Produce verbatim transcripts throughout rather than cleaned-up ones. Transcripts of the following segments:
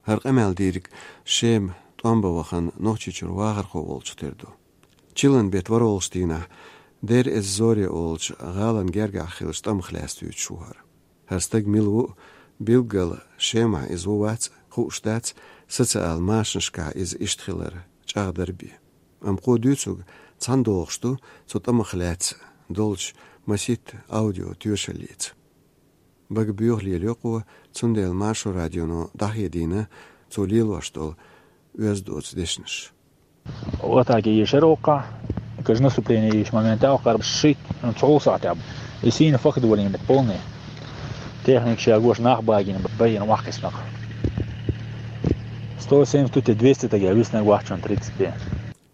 ХӀара къамел дийриг Шема тӀом бан вахана Нохчийчуьра вахархо волчух тера ду. Чиллан бетта ворхӀалгӀачу дийнахь Дейр-эз-Зоре олучу гӀалин гергахь хиллачу тӀамах лаьцна дуьйцуш ву хӀара. ХӀара стаг мила ву а, билггал Шемахь иза ву-вац а хууш дац, социал машанашкахь иза иштта хилар чӀагӀдар бен. Амма кхо дуьйцург цхьаьна догӀуш ду цу тӀамах лаьцна долчу масийтта аудио тоьшаллица. Бага боьха лелайо кхо, цундела Маршо радионо дӀахедийна цо лелош долу оьзда доцу дешнаш. Вот так и ешар оккха, каж наступление еш моментал кхар шийтта, ну, цхьа сахьтехь. И сийна факт валийна полный. Техника ша гош нах багина, байина вахкиснах. Сто семьдесят, двести тагя виснаг вахчун тридцать пять.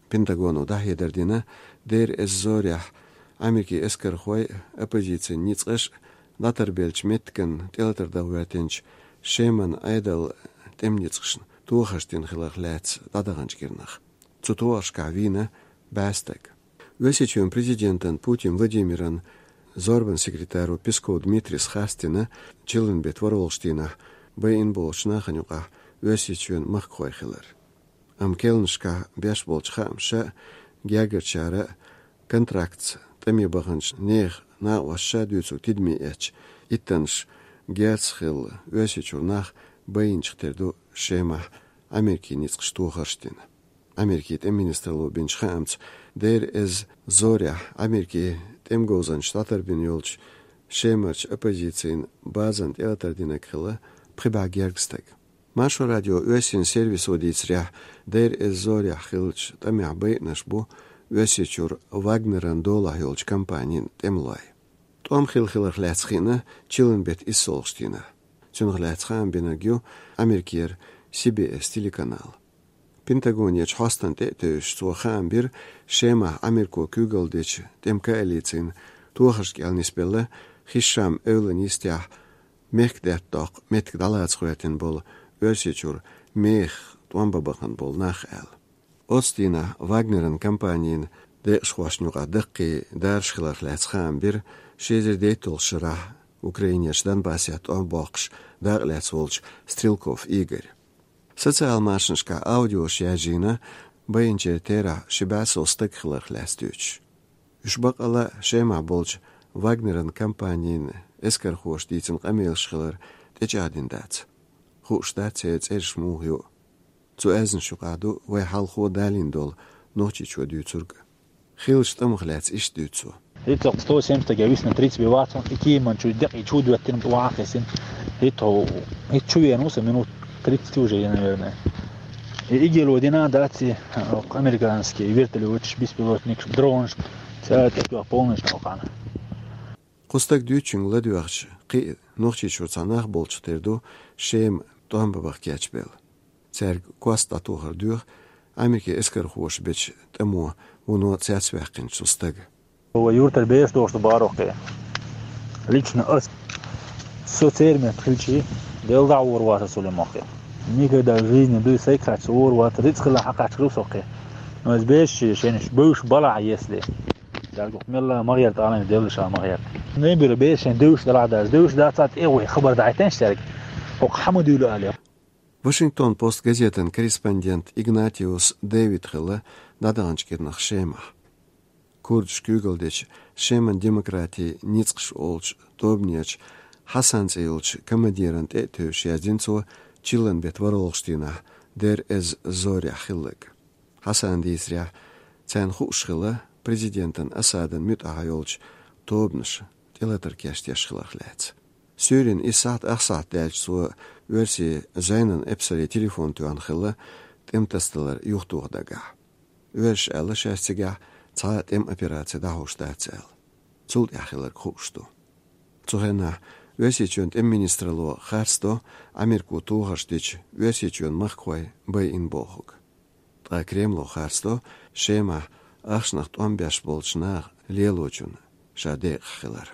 Пентагоно дӀахьедар дина, Дейр-эз-Зорехь Америкин эскархой, оппозицин ницкъаш дӀатарбеллачу меттиган тӀелатар дан гӀоьртинчу Шеман Ӏедал тӀеман ницкъашна тохарш дина хиларх лаьцна дӀадаханчу кӀирнах. Цу тохаршкахь вийна бӀе стаг. Оьрсийчоьнан президентан Путин Владимиран зорбан секретаро Песков Дмитрийс харцдина чиллан бетта ворхӀалгӀачу дийнахь байина болчу нахана юкъахь Оьрсийчоьнан махкахой хилар. Амма керланашкахь беш болчу хаамаша а, гергарчара а, контрактца тӀаме баханчу нехан накъосташа а дуьйцург тидаме эцча, иттаннаш герз хилла Оьрсийчуьра нах байинчух тера ду Шемахь Америкин ницкъаша тохарш дина. Америкин тӀеман министралло бинчу хаамца, Дейр-эз-Зорехь Америкин тӀеман говзанчаша дӀатарбина йолчу Шемарчу оппозицин базана тӀелатар динарг хилла пхи бӀе гергга стаг. Маршо радион оьрсийн сервисо дийцарехь, Дейр-эз-Зорехь хиллачу тӀамехь байинарш бу Оьрсийчуьра Вагнеран долахь йолчу компанин тӀемалой. ТӀом хилла хиларх лаьцна хиъна чиллан бетта иссалгӀачу дийнахь. Цунах лаьцна хаам бинарг ю Америкера Си-Би-Эс телеканал. Пентагонерчу хьостана тӀе а тевжаш, цо хаам бира Шемахь Америко куьйгалла дечу тӀеман коалицин тохаршна кӀел нисбелла Хишам-эвлан йистехь мехкдаьтта доккху меттиг дӀалаца гӀоьртина болу Оьрсийчуьра мехах тӀом бан бахана болу нах аьлла. Оцу дийнахь Вагнеран компанин декъашхошна юкъахь даккхий дараш хиларх лаьцна хаам бира ши эзар дейтталгӀачу шарахь Украинерчу Донбассехь тӀом боккхуш дакъалаьцна волчу Стрелков Игоря. Социал машанашкахь аудиош яржийна, байинчеран терахь ши бӀе сов стаг хиларх лаьцна дуьйцуш. Уьш баккъалла а Шемахь болчу Вагнеран компанин эскархоша дийцина къамелаш хилар тӀечӀагӀдина дац. Хууш дац церан цӀераш муха ю. Цу аьзнаш юкъахь ду вай хьалхо далийна долу Нохчийчоь дуьйцург. Хиллачу тӀамах лаьцна иштта дуьйцу цо. ХӀинца сто семьдесят тагя висна тридцать бен вацахь, и кеман чу декъий чу доьттина, вахана хесина. ХӀинца хӀо-, хӀинца чу веана ву сан минут тридцать уже, наверное. И игело дина дац и, а, американский вертолёташ, беспилотникаш, дронаш, цара тӀетоьхна полностью нокъана. Кху стага дуьйцучуьнга ладоьгӀча, кхин а Нохчийчуьра цхьа нах болчух тера ду Шема тӀом бан баха кечбелла. Цаьрга кост дӀатохар доьху Америкин эскархоша бечу тӀамо вуно цецваьккхинчу стага. Вай юьртара бераш дохуш ду бахархой. Лично ас. Со церан метта хилчий, Делла дӀа а вор вацара со лемоххе. Никогда в жизни дуй сайга кхаччалц вор вацара, рицкъ хилла хьакхаччалц соххе. Но иза бераш шен бевзаш балахь, если. Дагух мелла ма гӀерта, алан Делла ша ма гӀерта. Небира бераш шен девзаш далахь даже, девзаш дац а тӀе вай хабар дӀахӀиттинчу цаьрга. ХӀокху хьан ма дуьйлу алий. Вашингтон Пост газетан корреспондент Игнатиус Дэвид хилла дӀадаханчу кӀирнах Шемахь. Курдаш куьйгалла дечу Шеман демократин ницкъаш олучу тобанерчу Хьасан цӀе йолчу командиран тӀе а тевжаш яздина цо чиллан бетта ворхӀалгӀачу дийнахь Дейр-эз-Зорехь хилларг. Хьасана дийцарехь, царна хууш хилла президентан Асадан муьтӀахь йолчу тобанаша тӀелатар кечдеш хиларх лаьцна. Суьйранна исс сахьт, ах сахьт даьлча цо оьрсийн Зайнан Эпсаре телефон тоьхна хилла тӀеман тасадалар юхатоха дагахь. Оьрсаша аьлла шаьш цигахь цхьа а тӀеман операци дӀахьош дац аьлла. Цул тӀаьхьа хилларг хууш ду. Цу хенахь Оьрсийчоьнан тӀеман министралло харцдо Америко тохарш дича Оьрсийчоьнан махкахой байина бохург. Ткъа Кремло харцдо Шемахь ахчанах тӀом беш болчу наха лелочунна ша декъахь хилар.